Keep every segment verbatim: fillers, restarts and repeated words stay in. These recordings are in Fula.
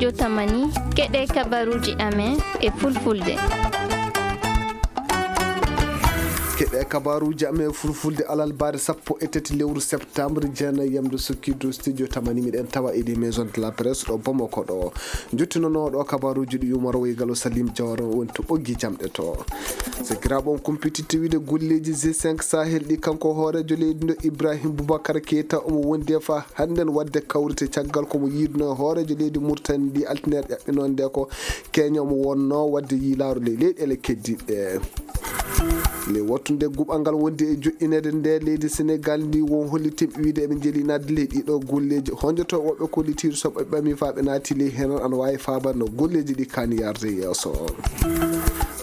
Yo tamani, keɗe kabaruuji amen e fulfulde. Keɗe kabaruuji amen e fulfulde alarba sappo e tati lewru septembre, jeenayi yamde sukkidu studio tamani, miɗen tawa e ɗi maison de la presse ɗo Bamako ɗo. Njottinooɗo kabaruuji ɗi Umar Woy Galo Salim Jawara woni to ɓoggi jamɗe to. Sakiraaɓe, on kumpititte wiide golleeji G cinq Sahel ɗi, kanko hooreejo leydi ndo Ibrahim Boubacar Keita omo wondi e fa hannden waɗde kawrite caggal ko mo yiiduno e hooreejo leydi Mauritanie ndi altineere ƴaɓɓinoonde ko Kenya omo wonnoo waɗde yiilaaru ley leyɗeele keddiiɗe. Ley wattunde guɓal ngal wondi e joɗɗineede nde leydi Senegal ndi won hollitimɓe wiide eɓe njeli naatde ley ɗiɗo golleeji. Honjoto woɓɓe kollitiiɗo so ɓe ɓami fa ɓe naati ley heen ana waawi faabande no golleeji ɗi kaani yarde yeeso.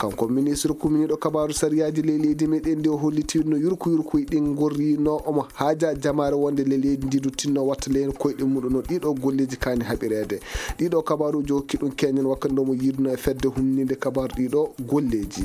Kanko ministre kuminiiɗo kabaaru sariyaaji ley leydi meɗen ndi o hollitiiɗo no yurku yurkuy ɗin ngorrino omo haaja jamaare wonde ley leydi ndi du tinno watta ley heen koyɗe muɗum no ɗiɗo golleeji kaani haɓireede. Ɗiɗo kabaaruuji o hokki ɗum keñen wakkati nde omo yiiduno e fedde humninde kabaaru ɗiɗo golleeji.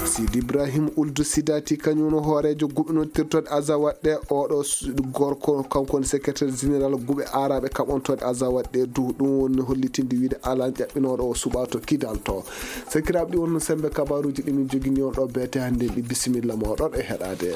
Sidi Ibrahim Uldu Sidati kañum no hooreejo guɓinontirtoɗe Azawad ɗe, oɗo s-, gorko kanko woni secrétaire général guɓe aaraɓe kaɓontoɗe Azawad ɗe du, ɗum woni hollitinde wiide alan ƴaɓɓinooɗo o suɓa to Kidal to. Sakiraaɓe, ɗi wonno sembe kabaaruuji ɗi min jogini on ɗo beete hannde ɗi. Bisimilla moɗon e heɗaade.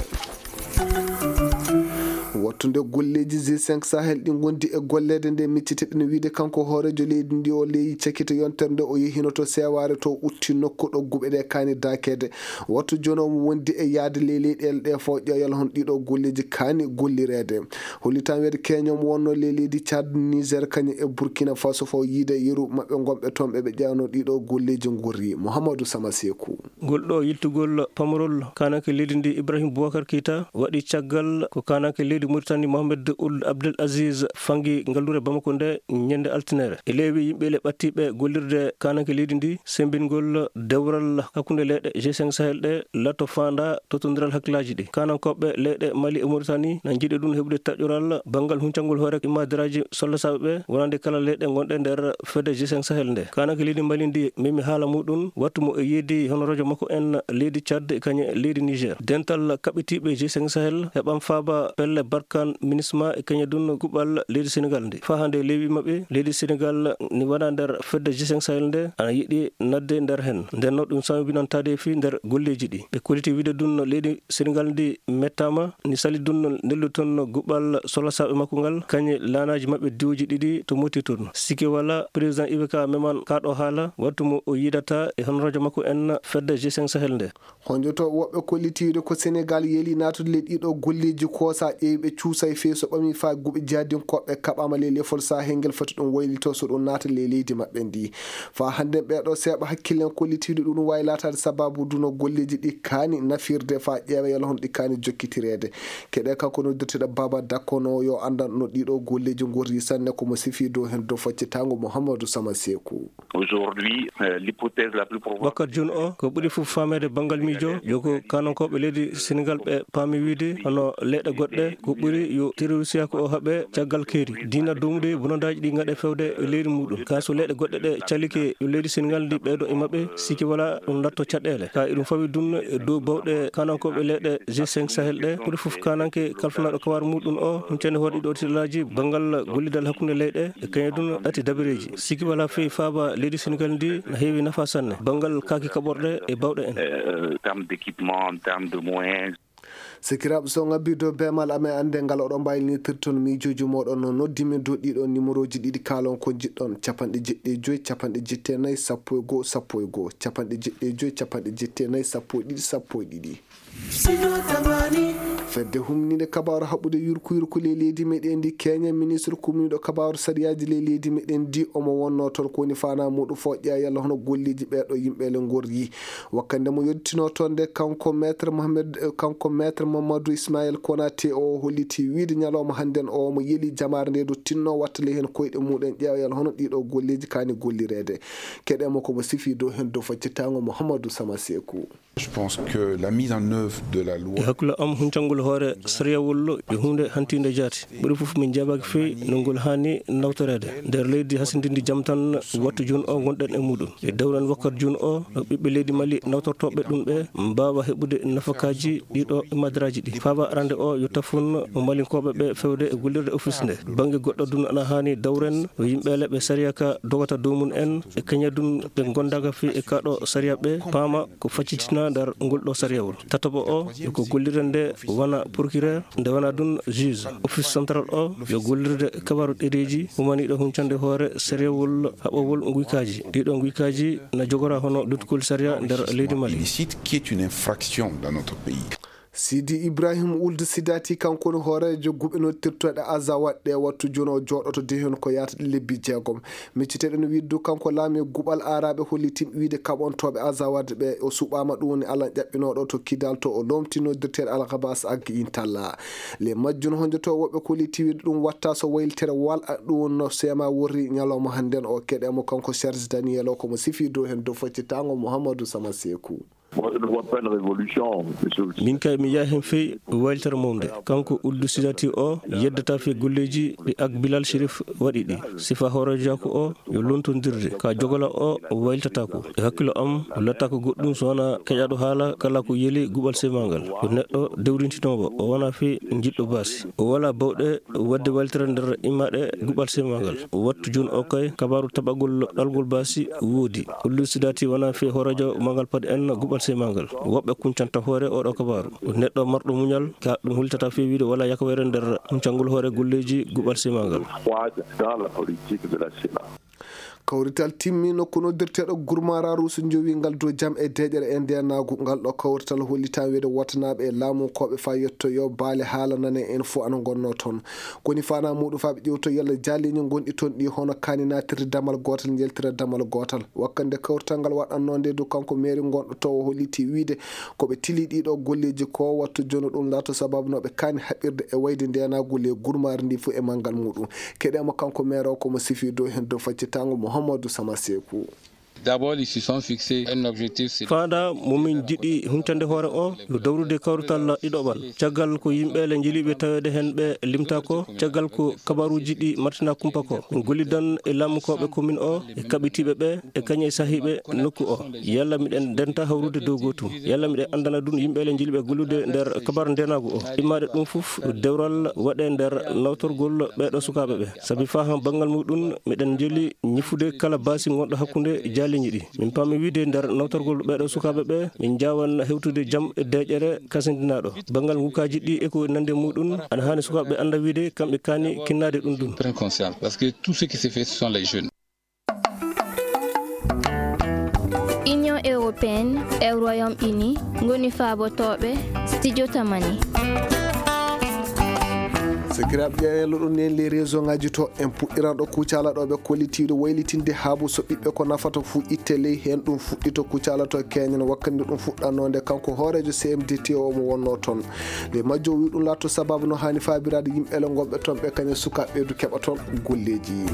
Wattunde golleeji G cinq Sahel ɗi ngondi e golleede nde miccitiɗen wiide kanko hooreejo leydi ndi o leyi cakite yontere nde o yehino to seewaare to utti nokku ɗo guɓe ɗe kaani daakeede. Wattu jooni omo wondi e yaade ley leyɗeele ɗe fof ƴeewal hon ɗiɗo golleeji kaani gollireede. Hollitan weede keñom wonno ley leydi Tchad, Niger, kañum e Burkina Faso fof yiide yeru maɓɓe gonɓe toon ɓe ɓe ƴeewno ɗiɗo golleeji ngorri. Mouhamadou Sama Sekou. Ngol ɗo yiltugol pamarol kaananke leydi ndi Ibrahim Boubacar Keita waɗi caggal ko kaananke leydi Mauritanie Mohamed Ould Abdel Aziz fangi ngallure Bamako nde ñande altinere. E leewi yimɓe le ɓattiɓe gollirde kaananke leydi ndi sembingol dewral hakkunde leyɗe G cinq Sahel ɗe lato faanda totondiral hakkillaaji ɗi. Kaanankooɓe leyɗe Mali e Mauritanie na njiɗi ɗum heɓude taƴoral banngal huncangol hoore immadiraaji sollasaaɓe ɓe wonande kala leyɗe gonɗe nder fedde G cinq Sahel nde. Kaananke leydi Mali ndi memi haala muɗum wattu mo e yeedi hono rojo makko en leydi Tchad e kañe leydi Niger. Dental kaɓɓitiiɓe G cinq Sahel heɓan faaba pelle Barkhane, MINUSMA e kañe dun kuɓal leydi Senegal ndi. Faa hande leewi maɓɓe leydi Senegal ni wona nder fedde G cinq Sahel nde ana yiɗi nadde nder hen. Nden no ɗum sambinantaade fii nder golleeji ɗi. Ɓe kolliti wiide dun leydi Senegal ndi mettaama ni sali dun nelluton guɓal solasaaɓe makko ngal kañe laanaaji maɓɓe diwuji ɗiɗi to Moti tun. Sikke wala président I B K meman kaɗo haala wattu mo o yiidata e honorajo makko en fedde G cinq Sahel nde. Honjoto woɓɓe kollitiiɗo ko Senegal yeeli naatude ley ɗiɗo golleeji ko sa ƴeewi ɓe cuusa e feeso ɓami faa guɓe jihadinkooɓe kaɓaama ley lefol Sahel ngel foti ɗum waylito so ɗum naata ley leydi maɓɓe ndi. Faa hannde ɓeeɗo seeɓa hakkillen kollitiiɗo ɗum waawi laataade sababu duno golleeji ɗi kaani nafirde faa ƴeewa yalla hono ɗi kaani jokkitireede. Keɗe kanko noddirteɗo Baba Dakkono yo anndan no ɗiɗo golleeji ngorri sanne ko mo sifi dow heen dow faccitango Mouhamadou Sama Sekou. Aujourd'hui, euh, l'hypothèse la plus probable. Wakkati jooni o, ko ɓuri fof faameede banngal miijo, yo ko kaanankooɓe leydi Senegal ɓe paami wiide, hono leyɗe goɗɗe, ko ɓuri yo terroriste ko o haɓe caggal keeri. Diina doomude bonondaaji ɗi ngaɗe fewde e leydi muɗum. Ka so leyɗe goɗɗe ɗe calike yo leydi Senegal ndi ɓeydo e maɓɓe, siki wala ɗum latto caɗeele. Ka eɗum fawi dun e dow bawɗe kaanankooɓe leyɗe G cinq Sahel ɗe, ɓuri fof kaananke kalfanaaɗo kabaru muɗum o, huncande hoore ɗiɗo titalaji banngal gollidal hakkunde leyɗe, e kañum dun ɗati dabareeji. Siki wala fii faaba leydi Senegal ndi na heewi nafa sanne banngal kaaki kaɓorɗe e bawɗe en. Euh, en termes d'équipement, en termes de moyens. Sakiraaɓe, so ngabbi dow beemal amen annde ngal oɗon mbaawi nitirton miijooji mooɗon no noddi min dow ɗiɗo numéroji ɗiɗi kaalon ko njiɗɗon, capanɗe jeɗɗi e joy, capanɗe jetti e nayi, sappo e goo, sappo e goo, capanɗe jeɗɗi e joy, capanɗe jetti e nayi, sappo e ɗiɗi, sappo e ɗiɗi. Fedde humninde kabaaru haɓude yurku yurku ley leydi meɗen ndi Kenya, ministre kumniiɗo kabaaru sariyaaji ley leydi meɗen ndi omo wonno toon ko woni faanaa muɗum fof ƴeewa yalla hono golleeji ɓeeɗo yimɓe le ngorri. Wakkande mo yottinoo toon nde kanko maître Mohamed, eh, kanko maître Mamadou Ismaël Konaté o holliti wiide ñalawma hannden o omo yeli jamaare nde do tinno watta ley heen koyɗe muɗum ƴeewa yalla hono ɗiɗo golleeji kaani gollireede. Keɗe mo ko mo sifi dow heen dow faccitango Mouhamadou Sama Sekou. Je pense que la mise en œuvre de la loi. E hakkunde am, huncangol hoore sariyawol yo huunde hantiinde jaati. Ɓuri fof min njaɓaaki fii no ngol haani nawtoreede. Nder leydi hasindindi jam tan wattu jooni o ngonɗen e muɗum. E dawran wakkati jooni o no ɓiɓɓe leydi Mali nawtortooɓe ɗum ɓe mbaawa heɓude nafakaaji ɗiɗo madraji ɗi. Faaba arande o yo tafun mo malinkooɓe ɓe fewde e gollirde office nde. Bannge goɗɗo dun ana haani dawren no yimɓe leɓe sariya ka dogata dow mum en e kaña dun ɓe gondaka fi e kaɗo sariya ɓe paama ko faccitina nder ngol ɗo sariyawol. Tatoɓo o yo ko gollirde nde wana procureur, nde wana dun juge. Office central o yo gollirde kabaru ɗereji umaniɗo huncande hoore sariyawol haɓowol nguykaaji. Ɗiɗo nguykaaji na jogora hono luttugol sariya nder leydi Mali. Illicite, qui est une infraction dans notre pays. Sidi Ibrahim Ould Sidati, kanko woni hooreejo guɓe noddirtooɗe Azawad ɗe wattu jooni o jooɗoto de heen ko yaata lebbi jeegom. Micciteɗen wiide du kanko laami guɓal aaraaɓe hollitin wiide kaɓontooɓe Azawad ɓe o suɓaama ɗum woni Alan ƴaɓɓinooɗo to Kidal to o loomti noddirteeɗo Alkabas Ag Intalla. Le majjun honjoto woɓɓe kolliti wiide ɗum watta so waylitere wal a ɗum no seema worri ñalawma hannden o keɗe mo kanko Serge Daniel o komo sifi dow heen dow faccitango Mouhamadou Sama Sekou. Moi, je ne vois pas une révolution, monsieur le Min kay mi yaha hen fey waylitere mawde. Kanko Ould Sidati o yeddata fey golleji ɗi Ak Bilal Chérif waɗi ɗi. Sifa hooreejo ko o yo lontondirde. Ka jogala o waylitata ko. E hakkilo am, o latta ko goɗɗum so wona keƴaɗo haala kala ko yeli guɓal semagal. Ko neɗɗo dewrintinoowo, o wona fey jiɗɗo baasi. O wala bawɗe wadde waylitere nder immaɗe guɓal semagal. Wattu jooni o kay, kabaru taɓagol ɗalgol baasi woodi. Ould Sidati wona fey hooreejo magal paɗe en guɓal semagal. Woɓɓe kuncanta hoore oɗo kabaru. Neɗɗo marɗo muñal, ka ɗum hultata fey wiide wala yakawere nder huncangol hoore golleji guɓal semagal. Dans la politique de la semagal. Kawrital timmi nokku noddirteeɗo Gurmara Ruusu jowi ngal dow jam e deeƴere e ndeenaagu. Ngal ɗo kawrital hollitaa wiide watanaaɓe e laamu koɓe faa yettoyo baale haala nane en fof ana ngonnoo toon. Koni faanaa muuɗum faa ɓe ƴeewto yalla jaaliiñi ngonɗi toon ɗi hono kaani naatirde damal gootal njeltira damal gootal. Wakkande kawrital ngal waɗannoo nde du kanko meeri ngonɗo toon o holliti wiide ko ɓe tili ɗiɗo golleeji ko wattu jono ɗum laato sababu no ɓe kaani haɓirde e wayde ndeenaagu le Gurmara ndi fof e manngal muuɗum. Keɗeemo kanko meere o komo sifi dow heen dow faccitango Mouhamadou Sama Sekou. D'abord, ils se sont fixés un objectif, c'est Faanda mo min jiɗi huncande hoore o yo dawrude kawrital ɗiɗoɓal. Caggal ko yimɓe le jeliɓe taweede heen ɓe limta ko, caggal ko kabaruuji ɗi martina kumpa ko. Min gollidan e laamukooɓe commune o e kaɓitiiɓe ɓe e kañe sahiiɓe nokku o. Yalla miɗen ndenta hawrude dow gootum. Yalla miɗen anndana ɗum yimɓe le jeliɓe gollude nder kabaru ndeenaagu o. Immaade ɗum fof dewral waɗe nder nawtorgol ɓeeɗo sukaaɓe ɓe. Sabi faa han banngal muɗum miɗen njeli ñifude kala baasi ngonɗo hakkunde jaaliiñi ɗi. Min paami wiide nder nawtorgol ɓeeɗo sukaaɓe ɓe, min njaawan hewtude jam e deeƴere kasindinaaɗo. Banngal ngukaaji ɗi e ko nandi e muɗum, ana haani sukaaɓe ɓe annda wiide kamɓe kaani kinnaade ɗum ɗum. Prennent conscience, parce que tout ce qui se fait, ce sont les jeunes. Union européenne e Royaume-Uni ngoni faabotooɓe studio Tamani. Sakiraaɓe ƴeeñal ɗum nen les réseau ngaji to en puɗɗiran ɗo kucala ɗo ɓe kollitiiɗo waylitinde haabu so ɓiɓɓe ko nafata fuu itte ley heen ɗum fuɗɗito kucala to keñen wakkati ɗum fuɗɗannoo nde kanko hooreejo C M D T o mo wonnoo toon. Nde majjo o wi ɗum laatto sababu no haani faabiraade yimɓe le ngonɓe toon ɓe kañe sukaaɓe ɓeydu keɓa toon golleeji.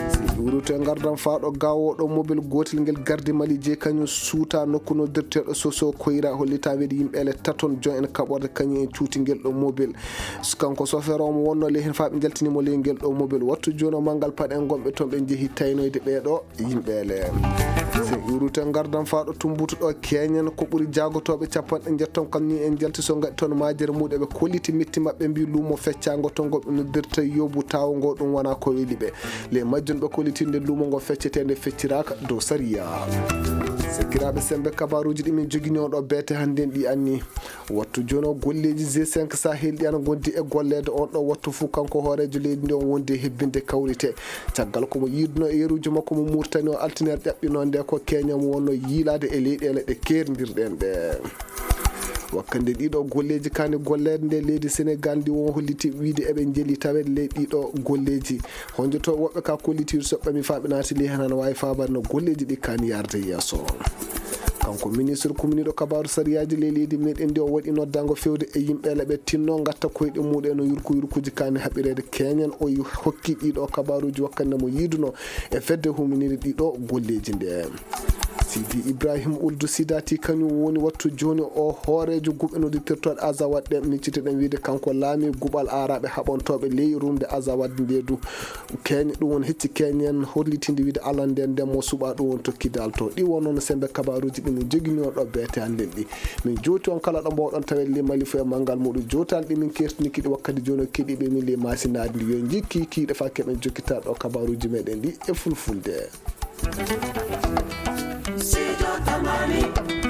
Si ɓe wuuri to e ngardan faa ɗo gaawooɗo mobil gootel ngel gardi Mali jeyi kañum suuta nokku noddirteeɗo Soso Koyra hollita wiide yimɓe le taton jon en kaɓorde kañum en cuuti ngel ɗo mobil. Kanko sofeer o mo wonno ley heen faa ɓe njaltini mo ley ngel ɗo mobil. Wattu jooni o manngal paɗe en gonɓe toon ɓe njehi taynoyde ɓee ɗo yimɓe le. So ɓe wuuri to e ngardan faa ɗo tumbutu ɗo keñen ko ɓuri jaagotooɓe capanɗe njetton kam ni en njalti so ngaɗi toon maajere muɗe ɓe kolliti metti maɓɓe mbi luumo feccaango to ngo ɓe noddirta yobu tawo ngo ɗum wona ko weli ɓe. Ley majjum ɓe kollitinde luumo ngo feccetee nde fecciraaka dow sariya. Sakiraaɓe sembe kabaruuji ɗi min jogini on ɗo beete hannden ɗi anni. Wattu jono golleeji G cinq Sahel ɗi ana ngondi e golleede on ɗo wattu fuu kanko hooreejo leydi ndi on wondi e hebbinde kawrite. Caggal ko mo yiiduno e yeruuji makko mo Murtani o altiner ƴaɓɓino nde ko keñam wonno yiilaade e leyɗeele ɗe keerndirɗen ɗe. Wakkande ɗiɗo golleeji kaani golleede nde leydi Senegal ndi won holliti wiide eɓe njeli taweede ley ɗiɗo golleeji. Honjoto woɓɓe ka kollitiiɗo so ɓami faa ɓe naati ley heen ana waawi faabaade no golleeji ɗi kaani yaarde yeeso. Kanko ministre kumniiɗo kabaaru sariyaaji ley leydi meɗen ndi o waɗi noddaango fewde e yimɓe le ɓe tinno ngatta koyɗe muɗum e no yurku yurkuuji kaani haɓireede keñen o yu-, hokki ɗiɗo kabaaruuji wakkande mo yiiduno e fedde huminire ɗiɗo golleeji nde. Sidi Ibrahim Uldu Sidati kañum woni wattu jooni o hooreejo guɓe noddirtooɗe Azawad ɗen. Miccitoɗen wiide kanko laami guɓal aaraaɓe haɓantooɓe ley rumde Azawad nde du. Keeñe ɗum won hecci keeñen hollitinde wiide alande nden mo suɓa ɗum won tokki dalto. Ɗi wonno no sembe kabaruuji ɗi min joginoo ɗo beete an nden ɗi. Min jooti on kala ɗo mbawɗon tawede ley Mali fof e manngal muɗum. Jootal ɗi min kertini kiɗi wakkati jooni o keɗiiɓe min ley maasinaadi ndi. Yo jikki kiiɗe fa keɓen jokkita ɗo kabaruuji meɗen ɗi e fulfulde. Sijo Tamani.